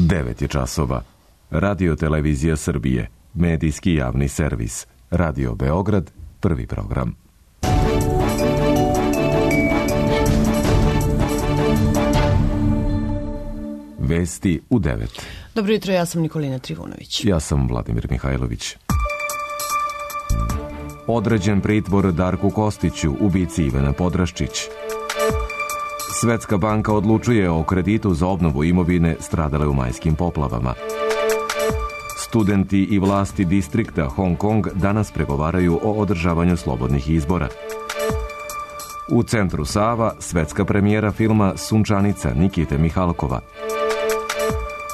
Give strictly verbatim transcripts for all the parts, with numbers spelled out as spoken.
devet je časova. Radio Televizija Srbije, medijski javni servis. Radio Beograd, prvi program. Vesti u devet. Dobro jutro, ja sam Nikolina Trivunović. Ja sam Vladimir Mihajlović. Određen pritvor Darku Kostiću, ubici Ivana Podraščić. Svetska banka odlučuje o kreditu za obnovu imovine stradale u majskim poplavama. Studenti i vlasti distrikta Hong Kong danas pregovaraju o održavanju slobodnih izbora. U centru Sava svetska premijera filma Sunčanica Nikite Mihalkova.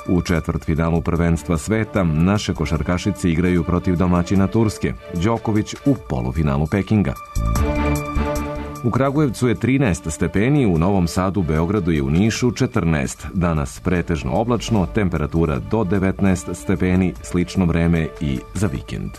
U četvrtfinalu prvenstva sveta naše košarkašice igraju protiv domaćina Turske, Đoković u polufinalu Pekinga. U Kragujevcu je trinaest stepeni, u Novom Sadu, Beogradu i u Nišu četrnaest. Danas pretežno oblačno, temperatura do devetnaest stepeni, slično vreme i za vikend.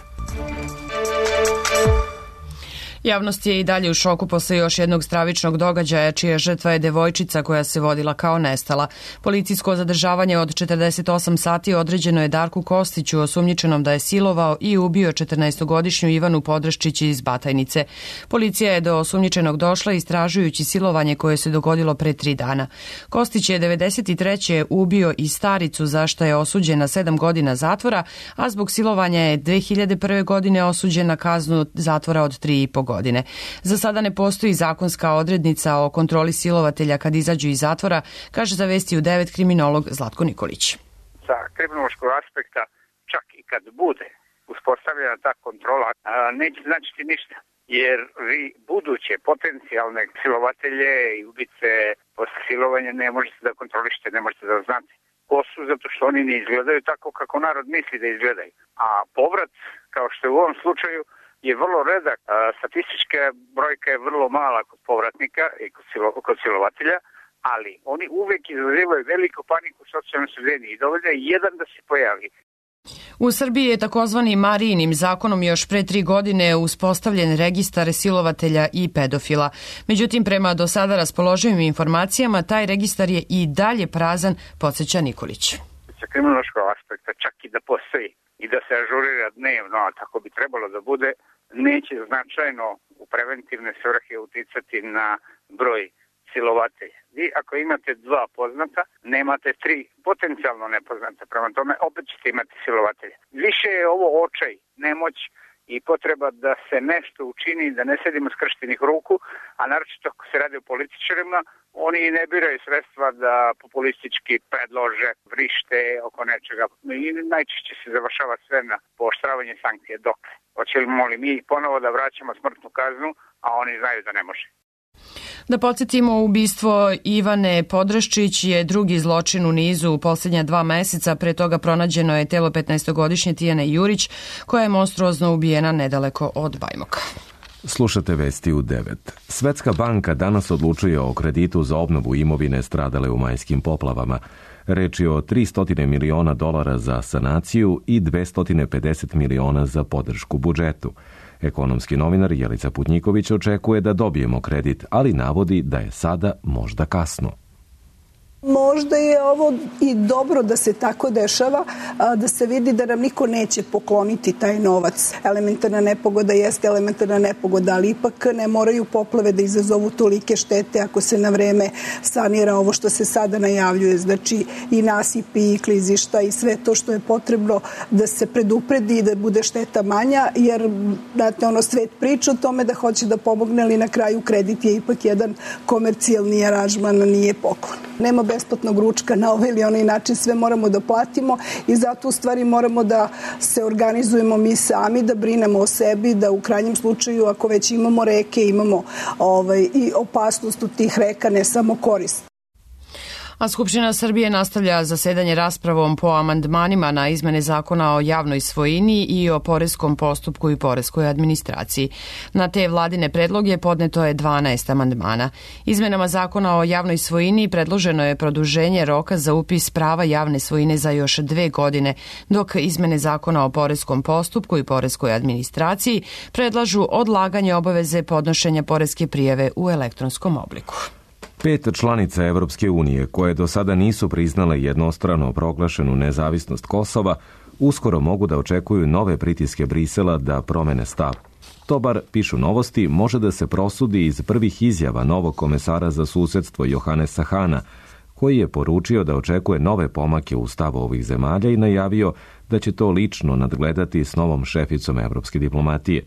Javnost je i dalje u šoku posle još jednog stravičnog događaja, čija žrtva je devojčica koja se vodila kao nestala. Policijsko zadržavanje od četrdeset osam sati određeno je Darku Kostiću, osumnjičenom da je silovao i ubio četrnaestogodišnju Ivanu Podraščić iz Batajnice. Policija je do osumnjičenog došla istražujući silovanje koje se dogodilo pre tri dana. Kostić je devedeset treće ubio i staricu, za što je osuđen na sedam godina zatvora, a zbog silovanja je dve hiljade prve. godine osuđen na kaznu zatvora od tri i po godine. Godine. Za sada ne postoji zakonska odrednica o kontroli silovatelja kad izađu iz zatvora, kaže za Vesti u devet kriminolog Zlatko Nikolić. Sa kriminološkog aspekta, čak i kad bude uspostavljena ta kontrola, neće značiti ništa, jer vi buduće potencijalne silovatelje i ubice posle silovanja ne možete da kontrolišete, ne možete da znate ko su, zato što oni ne izgledaju tako kako narod misli da izgledaju. A povrat, kao što je u ovom slučaju, je vrlo redak. Statistička brojka je vrlo mala kod povratnika i kod, silo, kod silovatelja, ali oni uvek izazivaju veliku paniku u socijalnoj sredini i dovoljno je jedan da se pojavi. U Srbiji je takozvani Marijinim zakonom još pre tri godine uspostavljen registar silovatelja i pedofila. Međutim, prema do sada raspoloživim informacijama, taj registar je i dalje prazan, podsjeća Nikolić. Sa kriminološkog aspekta, čak i da postoji i da se ažurira dnevno, a tako bi trebalo da bude, neće značajno u preventivne svrhe uticati na broj silovatelja. Vi ako imate dva poznata, nemate tri potencijalno nepoznata, prema tome opet ćete imati silovatelja. Više je ovo očaj, nemoć i potreba da se nešto učini, da ne sedimo skrštenih ruku, a naročito ako se radi o političarima, oni ne biraju sredstva da populistički predlože, vrište oko nečega i najčešće se završava sve na pooštravanje sankcije. Dokle? Hoćemo li mi ponovo da vraćamo smrtnu kaznu, a oni znaju da ne može. Da podsjetimo, ubistvo Ivane Podraščić je drugi zločin u nizu u posljednja dva meseca. Pre toga pronađeno je telo petnaestogodišnje Tijane Jurić, koja je monstruozno ubijena nedaleko od Bajmoka. Slušate Vesti u devet. Svetska banka danas odlučuje o kreditu za obnovu imovine stradale u majskim poplavama. Reč je o tristo miliona dolara za sanaciju i dvesta pedeset miliona za podršku budžetu. Ekonomski novinar Jelica Putnjiković očekuje da dobijemo kredit, ali navodi da je sada možda kasno. Možda je ovo i dobro da se tako dešava, da se vidi da nam niko neće pokloniti taj novac. Elementarna nepogoda jeste elementarna nepogoda, ali ipak ne moraju poplave da izazovu tolike štete ako se na vreme sanira ovo što se sada najavljuje. Znači i nasipi i klizišta i sve to što je potrebno da se predupredi i da bude šteta manja, jer znate, ono, svet priča o tome da hoće da pomogne, ali na kraju kredit je ipak jedan komercijalni aranžman, nije poklon. Nema besplatnog ručka na ovaj ili onaj način, sve moramo da platimo i zato u stvari moramo da se organizujemo mi sami, da brinemo o sebi, da u krajnjem slučaju ako već imamo reke, imamo ovaj, i opasnost u tih reka, ne samo korist. A Skupština Srbije nastavlja zasedanje raspravom po amandmanima na izmene zakona o javnoj svojini i o poreskom postupku i poreskoj administraciji. Na te vladine predloge podneto je dvanaest amandmana. Izmenama zakona o javnoj svojini predloženo je produženje roka za upis prava javne svojine za još dve godine, dok izmene zakona o poreskom postupku i poreskoj administraciji predlažu odlaganje obaveze podnošenja poreske prijave u elektronskom obliku. Pet članica Evropske unije, koje do sada nisu priznale jednostrano proglašenu nezavisnost Kosova, uskoro mogu da očekuju nove pritiske Brisela da promene stav. To, bar pišu Novosti, može da se prosudi iz prvih izjava novog komesara za susedstvo Johanesa Hana, koji je poručio da očekuje nove pomake u stavu ovih zemalja i najavio da će to lično nadgledati s novom šeficom evropske diplomatije.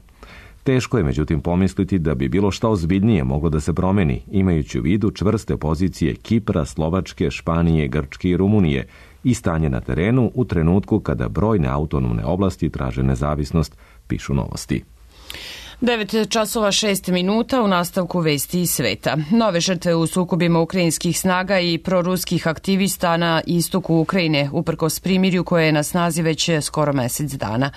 Teško je međutim pomisliti da bi bilo šta ozbiljnije moglo da se promeni, imajući u vidu čvrste pozicije Kipra, Slovačke, Španije, Grčke i Rumunije i stanje na terenu u trenutku kada brojne autonomne oblasti traže nezavisnost, pišu Novosti. devet časova šest minuta u nastavku vesti iz sveta. Nove žrtve u sukobima ukrajinskih snaga i proruskih aktivista na istoku Ukrajine, uprkos primirju koje je na snazi već skoro mesec dana.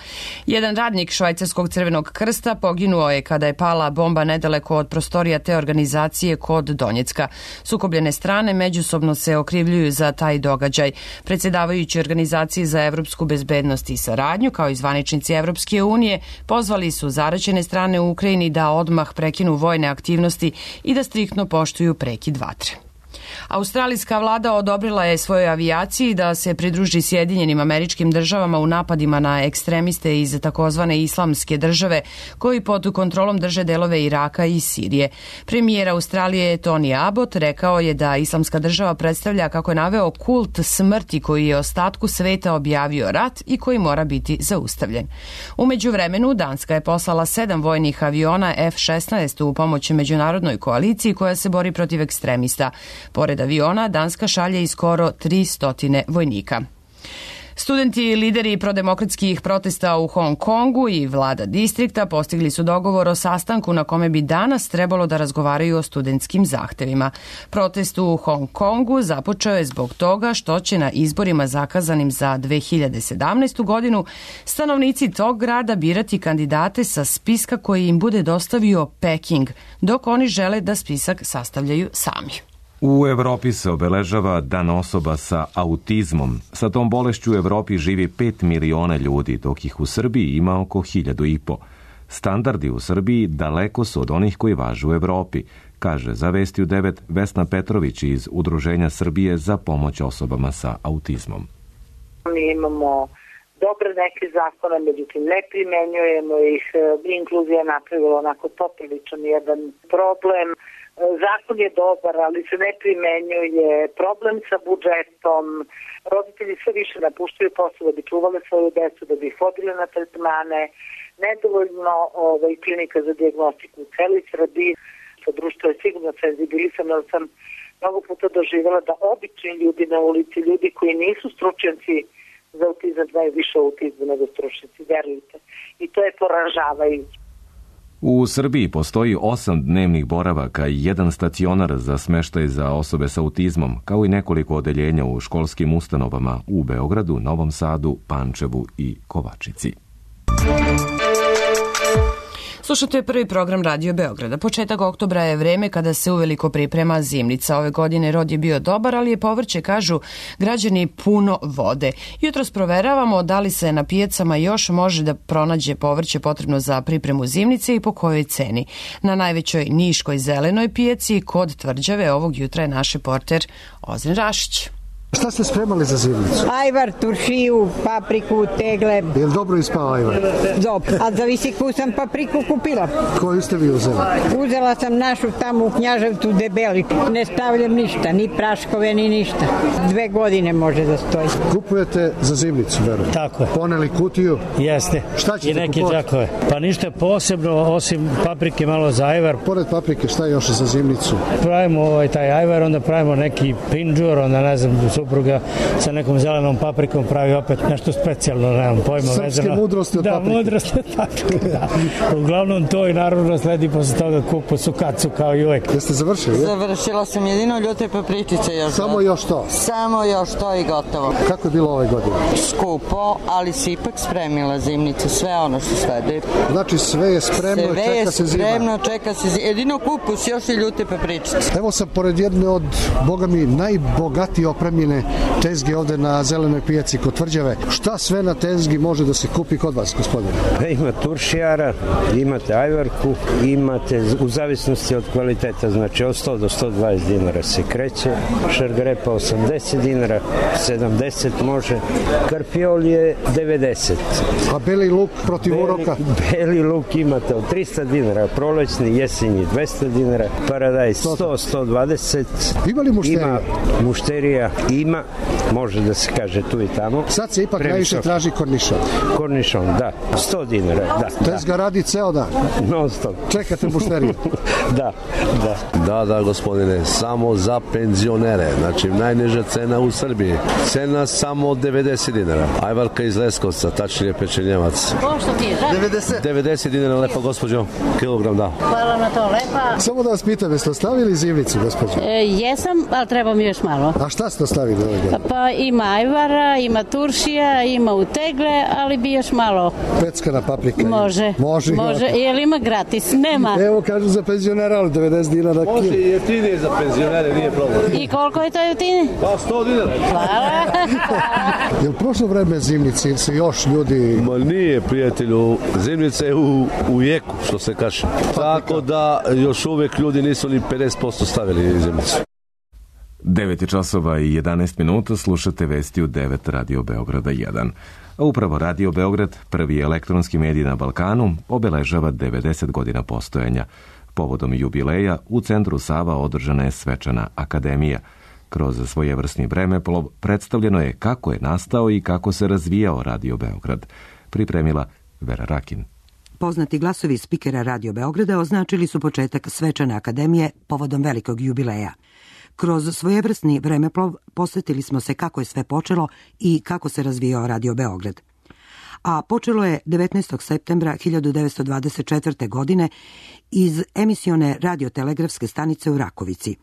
Jedan radnik švajcarskog Crvenog krsta poginuo je kada je pala bomba nedaleko od prostorija te organizacije kod Donjecka. Sukobljene strane međusobno se okrivljuju za taj događaj. Predsjedavajući organizaciji za evropsku bezbednost i saradnju, kao i zvaničnici Evropske unije, pozvali su zaraćene strane u Ukrajini da odmah prekinu vojne aktivnosti i da striktno poštuju prekid vatre. Australijska vlada odobrila je svojoj avijaciji da se pridruži Sjedinjenim Američkim Državama u napadima na ekstremiste iz takozvane islamske države koji pod kontrolom drže delove Iraka i Sirije. Premijer Australije Tony Abbott rekao je da islamska država predstavlja, kako je naveo, kult smrti koji je ostatku sveta objavio rat i koji mora biti zaustavljen. U međuvremenu Danska je poslala sedam vojnih aviona F šesnaest u pomoć međunarodnoj koaliciji koja se bori protiv ekstremista. Pored aviona, Danska šalje i skoro tristo vojnika. Studenti i lideri prodemokratskih protesta u Hong Kongu i vlada distrikta postigli su dogovor o sastanku na kome bi danas trebalo da razgovaraju o studentskim zahtevima. Protest u Hong Kongu započeo je zbog toga što će na izborima zakazanim za dve hiljade sedamnaestu. godinu stanovnici tog grada birati kandidate sa spiska koji im bude dostavio Peking, dok oni žele da spisak sastavljaju sami. U Evropi se obeležava Dan osoba sa autizmom. Sa tom bolešću u Evropi živi pet miliona ljudi, dok ih u Srbiji ima oko hiljadu i po. Standardi u Srbiji daleko su od onih koji važe u Evropi, kaže za Vesti u devet Vesna Petrović iz Udruženja Srbije za pomoć osobama sa autizmom. Mi imamo dobre neke zakone, međutim ne primenjujemo ih. Inkluzija je napravila onako popriličan jedan problem. Zakon je dobar, ali se ne primenjuje, problem sa budžetom, roditelji sve više napuštaju posao da bi čuvali svoju decu, da bi ih vodili na tretmane, nedovoljno ovaj, klinika za dijagnostiku u celoj Srbiji. Društvo je sigurno senzibilisano, ali sam mnogo puta doživjela da obični ljudi na ulici, ljudi koji nisu stručnjaci za autizam, znaju više o autizmu nego stručnjaci, verujte. I to je poražavajuće. U Srbiji postoji osam dnevnih boravaka i jedan stacionar za smeštaj za osobe sa autizmom, kao i nekoliko odeljenja u školskim ustanovama u Beogradu, Novom Sadu, Pančevu i Kovačici. Slušate prvi program Radio Beograda. Početak oktobra je vreme kada se uveliko priprema zimnica. Ove godine rod je bio dobar, ali je povrće, kažu građani, puno vode. Jutros proveravamo da li se na pijacama još može da pronađe povrće potrebno za pripremu zimnice i po kojoj ceni. Na najvećoj niškoj zelenoj pijaci kod Tvrđave ovog jutra je naš reporter Ozren Rašić. Šta ste spremali za zimnicu? Ajvar, turšiju, papriku, tegle. Je li dobro ispao ajvar? Dobro. A zavisi koju sam papriku kupila. Koju ste vi uzeli? Uzela sam našu tamo u Knjaževcu debeli. Ne stavljam ništa, ni praškove, ni ništa. Dve godine može da stoji. Kupujete za zimnicu, verujem? Tako je. Poneli kutiju? Jeste. Šta ćete I neke kupovati? džakove. Pa ništa posebno, osim paprike malo za ajvar. Pored paprike, šta još za zimnicu? Pravimo ovaj, taj ajvar, onda pravimo neki pinđur, onda ne znam, supruga sa nekom zelenom paprikom pravi opet nešto specijalno, nemam pojma. Srpske vezano. mudrosti od da, paprike. Da, mudrosti od paprike, da. Uglavnom to i naravno sledi posle toga kupu sukacu kao i uvek. Jeste završili? Je? Završila sam jedino ljute papričice još. Samo još to? Samo još to i gotovo. Kako je bilo ove godine? Skupo, ali si ipak spremila zimnicu, sve ono što sledi. Znači sve je spremno, sve čeka je se zima. Spremno, čeka se zima. Jedino kupus, još i ljute papričice. Evo sam pored jedne od, boga mi, najbogatije opremljene sjajne tezge ovde na zelenoj pijaci kod Tvrđave. Šta sve na tezgi može da se kupi kod vas, gospodine? Ima turšijara, imate ajvarku, imate u zavisnosti od kvaliteta, znači od sto do sto dvadeset dinara se kreće, šargarepa osamdeset dinara, sedamdeset može, karpiol je devedeset. A beli luk protiv beli, uroka? Beli luk imate od trista dinara, prolećni, jesenji dvesta dinara, paradajz sto do sto dvadeset. Ima li mušterija? Ima mušterija, ima, može da se kaže tu i tamo. Sad se ipak najviše traži kornišon. Kornišon, da, sto dinara, da. Tezga da. Radi ceo dan. Non stop. Čekate mušteriju? Da, da. Da, da, gospodine, samo za penzionere, znači najniža cena u Srbiji. Cena samo devedeset dinara. Ajvarka iz Leskovca, tačnije pečenjevac. Pošto ti je, da? devedeset. devedeset dinara, lepa gospođo, kilogram, da. Hvala na to, lepa. Samo da vas pitam, jeste ostavili zimnicu, gospođo? E, jesam, ali treba mi još malo. A šta ste ostavili ovaj godin? Pa ima ajvara, ima turšija, ima utegle, ali bi još malo. Peckana paprika. Može. Može. Može, je li ima gratis? Nema. Evo kažu za penzionera, ali devedeset dinara. Može i jeftinije za penzionere, nije problem. I koliko je to jeftinije? Pa sto dinara. Hvala. Je li prošlo vreme zimnici ili se još ljudi... Ma nije, prijatelju, zimnica je u, u jeku, što se kaže. Tako da još uvek ljudi nisu ni pedeset posto stavili zimnicu. devet časova i jedanaest minuta, slušate vesti u devet Radio Beograda jedan. A upravo Radio Beograd, prvi elektronski medij na Balkanu, obeležava devedeset godina postojanja. Povodom jubileja u centru Sava održana je svečana akademija. Kroz svojevrsni vremeplov predstavljeno je kako je nastao i kako se razvijao Radio Beograd. Pripremila Vera Rakin. Poznati glasovi spikera Radio Beograda označili su početak svečane akademije povodom velikog jubileja. Kroz svojevrsni vremeplov posvetili smo se kako je sve počelo i kako se razvijao Radio Beograd. A počelo je devetnaestog septembra hiljadu devetsto dvadeset četvrte. godine iz emisione radiotelegrafske stanice u Rakovici.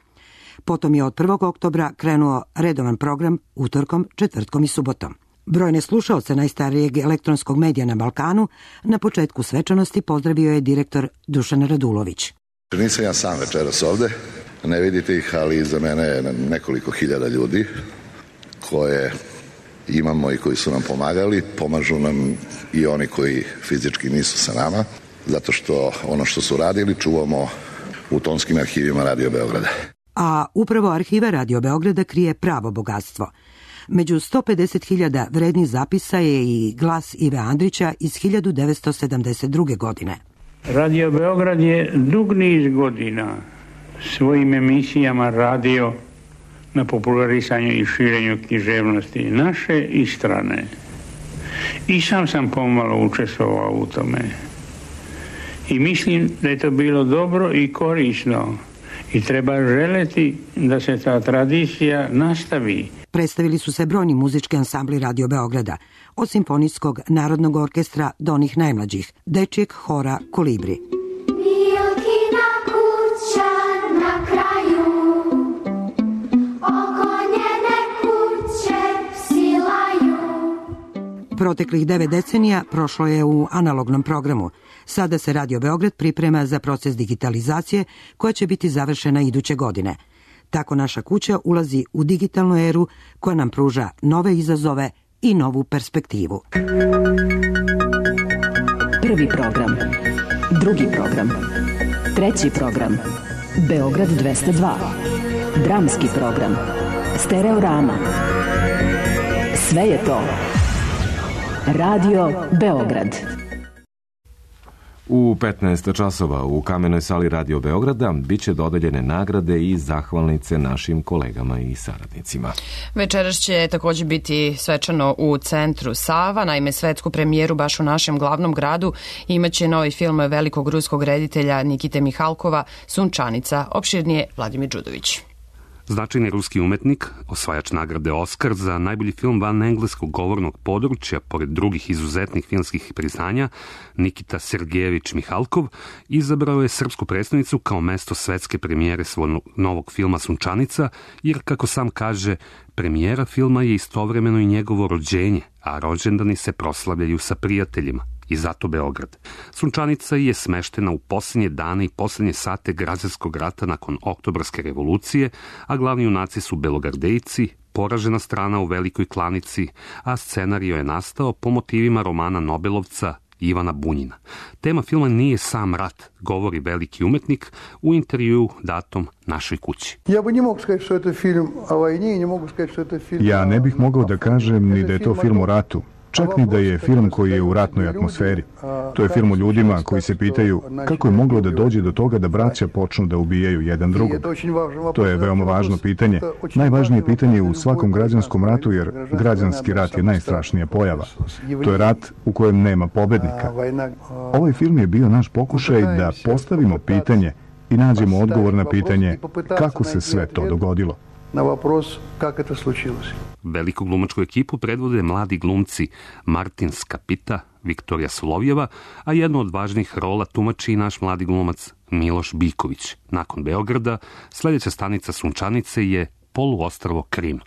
Potom je od prvog oktobra krenuo redovan program utorkom, četvrtkom i subotom. Brojne slušaoce najstarijeg elektronskog medija na Balkanu na početku svečanosti pozdravio je direktor Dušan Radulović. Nisam ja sam večeras ovde, ne vidite ih, ali iza mene je nekoliko hiljada ljudi koje imamo i koji su nam pomagali, pomažu nam i oni koji fizički nisu sa nama, zato što ono što su radili čuvamo u tonskim arhivima Radio Beograda. A upravo arhiva Radio Beograda krije pravo bogatstvo. Među sto pedeset hiljada vrednih zapisa je i glas Ive Andrića iz hiljadu devetsto sedamdeset druge. godine. Radio Beograd je dug niz godina svojim emisijama radio na popularisanju i širenju književnosti naše i strane. I sam sam pomalo učestvovao u tome. I mislim da je to bilo dobro i korisno i treba želeti da se ta tradicija nastavi. Predstavili su se brojni muzički ansambli Radio Beograda, od Simfonijskog narodnog orkestra do onih najmlađih, dečijeg hora Kolibri. Milkina kuća na kraju, oko njene kuće psi laju. Proteklih devet decenija prošlo je u analognom programu. Sada se Radio Beograd priprema za proces digitalizacije koja će biti završena iduće godine. Tako naša kuća ulazi u digitalnu eru koja nam pruža nove izazove i novu perspektivu. Prvi program, drugi program, treći program, Beograd dvesta dva, dramski program, Stereorama. Sve je to Radio Beograd. U petnaest časova u Kamenoj sali Radio Beograda biće dodeljene nagrade i zahvalnice našim kolegama i saradnicima. Večeras će također biti svečano u centru Sava. Naime, svetsku premijeru baš u našem glavnom gradu imaće novi film velikog ruskog reditelja Nikite Mihalkova Sunčanica. Opširnije Vladimir Đudović. Značajni ruski umetnik, osvajač nagrade Oskar za najbolji film van engleskog govornog područja, pored drugih izuzetnih filmskih priznanja, Nikita Sergejević Mihalkov, izabrao je srpsku predstavnicu kao mesto svetske premijere svog novog filma Sunčanica, jer, kako sam kaže, premijera filma je istovremeno i njegovo rođenje, a rođendani se proslavljaju sa prijateljima. I zato Beograd. Sunčanica je smeštena u posljednje dane i posljednje sate građanskog rata nakon Oktobarske revolucije, a glavni junaci su belogardejci, poražena strana u Velikoj klanici, a scenario je nastao po motivima romana Nobelovca Ivana Bunjina. Tema filma nije sam rat, govori veliki umetnik u intervjuu datom Našoj kući. Ja ne bih mogao da kažem ni da je to film o ratu, čak ni da je film koji je u ratnoj atmosferi. To je film o ljudima koji se pitaju kako je moglo da dođe do toga da braća počnu da ubijaju jedan drugog. To je veoma važno pitanje. Najvažnije pitanje u svakom građanskom ratu, jer građanski rat je najstrašnija pojava. To je rat u kojem nema pobednika. Ovaj film je bio naš pokušaj da postavimo pitanje i nađemo odgovor na pitanje kako se sve to dogodilo. Na вопрос, как это случилось. Veliku glumačku ekipu predvode mladi glumci Martin Skapita, Viktorija Solovjeva, a jednu od važnih rola tumači i naš mladi glumac Miloš Biković. Nakon Beograda, sljedeća stanica Sunčanice je poluostrvo Krim.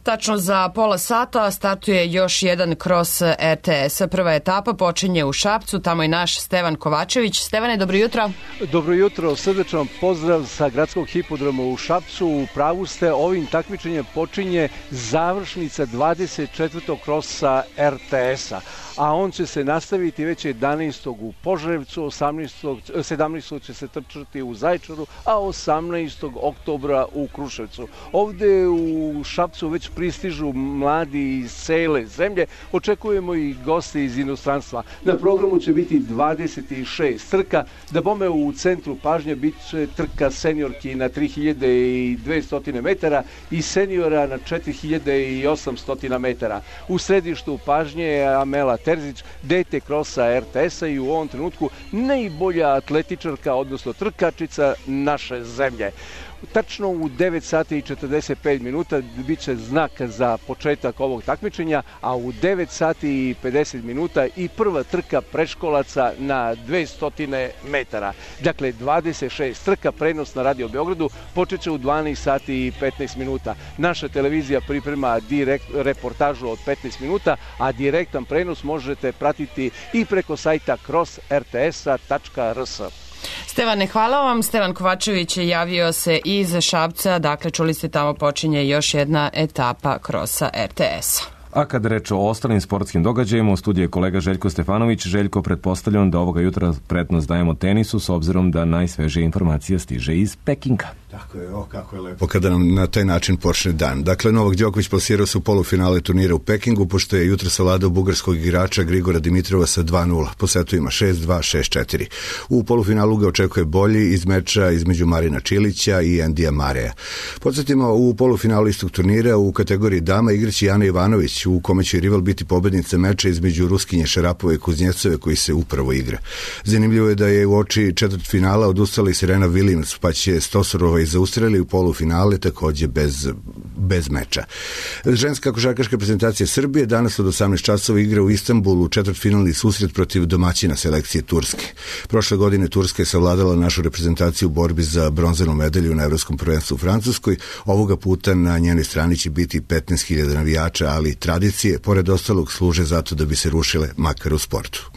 Tačno za pola sata startuje još jedan kros R T S-a. Prva etapa počinje u Šapcu, tamo je naš Stevan Kovačević. Stevane, dobro jutro. Dobro jutro, srdečan pozdrav sa gradskog hipodroma u Šapcu. U pravu ste, ovim takmičenjem počinje završnica dvadeset četvrtog krosa R T S-a, a on će se nastaviti već jedanaestog u Požarevcu, osamnaestog, sedamnaestog će se trčati u Zaječaru, a osamnaestog oktobra u Kruševcu. Ovde u Šapcu već pristižu mladi iz cele zemlje, očekujemo i goste iz inostranstva. Na programu će biti dvadeset šest trka, da bome u centru pažnje bit će trka seniorki na tri hiljade dvesta metara i seniora na četiri hiljade osamsto metara. U središtu pažnje je Amela Terzić, dete krosa R T S-a i u ovom trenutku najbolja atletičarka, odnosno trkačica naše zemlje. Tačno u devet sati i četrdeset pet minuta bit će znak za početak ovog takmičenja, a u devet sati i pedeset minuta i prva trka preškolaca na dvesta metara. Dakle, dvadeset šest trka, prenos na Radio Beogradu počeće u dvanaest sati i petnaest minuta. Naša televizija priprema direkt reportažu od petnaest minuta, a direktan prenos možete pratiti i preko sajta cross r t s tačka r s. Stevane, hvala vam. Stevan Kovačević je javio se iz Šapca, dakle čuli ste tamo počinje još jedna etapa krosa R T S-a. A kad reč o ostalim sportskim događajima, u studiju je kolega Željko Stefanović. Željko, pretpostavljam da ovoga jutra prednost dajemo tenisu, s obzirom da najsvežija informacija stiže iz Pekinga. Tako je, o kako je lepo kada nam na taj način počne dan. Dakle, Novak Đoković plasirao se u polufinale turnira u Pekingu, pošto je jutro savladao bugarskog igrača Grigora Dimitrova sa dva nula. Po setu ima šest dva, šest četiri. U polufinalu ga očekuje bolji iz meča između Marina Čilića i Endija Mareja. Podsjetimo, u polufinalu istog turnira u kategoriji dama igraće Jana Ivanović, u kome će rival biti pobednica meča između Ruskinje Šarapove i Kuznjecove, koji se upravo igra. Zanimljivo je da je u oči četvrtfinala odustala i Serena Williams, pa će Stosorova i zaustreli u polufinale takođe bez, bez meča. Ženska košarkaška reprezentacija Srbije danas od osamnaest časova igra u Istanbulu četvrtfinalni susret protiv domaćina selekcije Turske. Prošle godine Turska je savladala našu reprezentaciju u borbi za bronzanu medalju na Evropskom prvenstvu u Francuskoj. Ovoga puta na njenoj strani će biti petnaest hiljada navijača, ali tradicije, pored ostalog, služe zato da bi se rušile makar u sportu.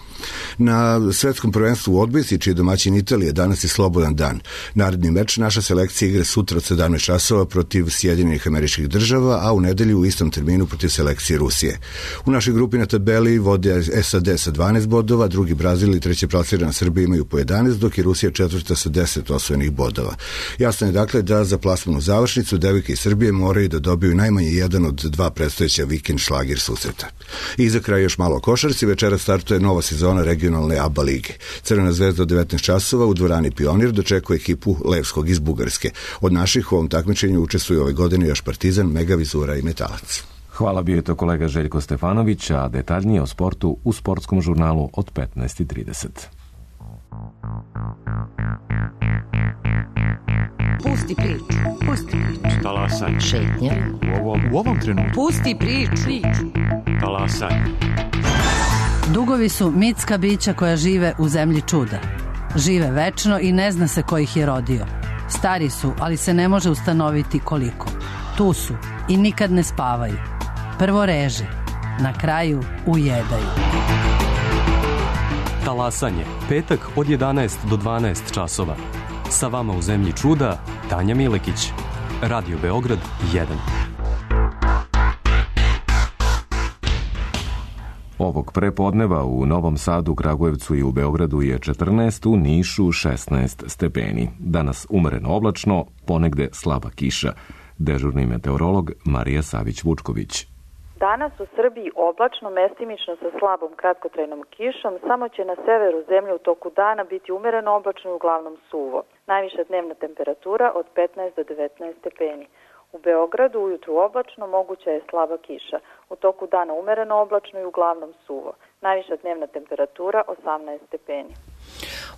Na svetskom prvenstvu u odbojci, čiji je domaćin Italije, danas je slobodan dan. Naredni meč naša selekcija igra sutra od sedamnaest časova protiv Sjedinjenih Američkih Država, a u nedelju u istom terminu protiv selekcije Rusije. U našoj grupi na tabeli vode S A D sa dvanaest bodova, drugi Brazil i treće plasirana Srbija imaju po jedanaest, dok je Rusija četvrta sa deset osvojenih bodova. Jasno je dakle da za plasmanu završnicu devojke iz Srbije moraju da dobiju najmanje jedan od dva predstojeća vikend šlagir susreta. I za kraj još malo o košarci. Večera startuje nova sezona regionalne A B A lige. Crvena zvezda od devetnaest časova u dvorani Pionir dočekuje ekipu Levskog iz Bugarske. Od naših u ovom takmičenju učestvuju ove godine još Partizan, Mega Vizura i Metalac. Hvala, bio je to kolega Željko Stefanović, a detaljnije o sportu u sportskom žurnalu od petnaest i trideset. Pusti priču, pusti priču. Talasaj. Šetnja. U ovom, u ovom trenutku. Pusti priču. Talasaj. Dugovi su mitska bića koja žive u zemlji čuda. Žive večno i ne zna se ko ih je rodio. Stari su, ali se ne može ustanoviti koliko. Tu su i nikad ne spavaju. Prvo reže, na kraju ujedaju. Talasanje, petak od jedanaest do dvanaest časova. Sa vama u zemlji čuda, Tanja Milekić. Radio Beograd jedan. Ovog prepodneva u Novom Sadu, Kragujevcu i u Beogradu je četrnaest, u Nišu šesnaest stepeni. Danas umereno oblačno, ponegde slaba kiša. Dežurni meteorolog Marija Savić-Vučković. Danas u Srbiji oblačno, mestimično sa slabom kratkotrajnom kišom, samo će na severu zemlje u toku dana biti umereno oblačno i uglavnom suvo. Najviša dnevna temperatura od petnaest do devetnaest stepeni. U Beogradu ujutru oblačno, moguća je slaba kiša. U toku dana umereno oblačno i uglavnom suvo. Najviša dnevna temperatura osamnaest stepeni.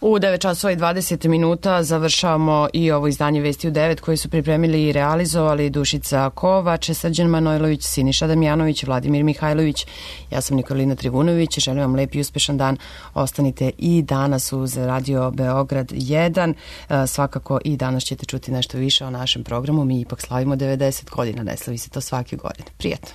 U devet časova i dvadeset minuta završavamo i ovo izdanje Vesti u devet koje su pripremili i realizovali Dušica Kovač, Srđan Manojlović, Siniša Damjanović, Vladimir Mihajlović. Ja sam Nikolina Trivunović. Želim vam lep i uspešan dan. Ostanite i danas uz Radio Beograd jedan. Svakako i danas ćete čuti nešto više o našem programu. Mi ipak slavimo devedeset godina, ne slavi se to svake godine. Prijatno.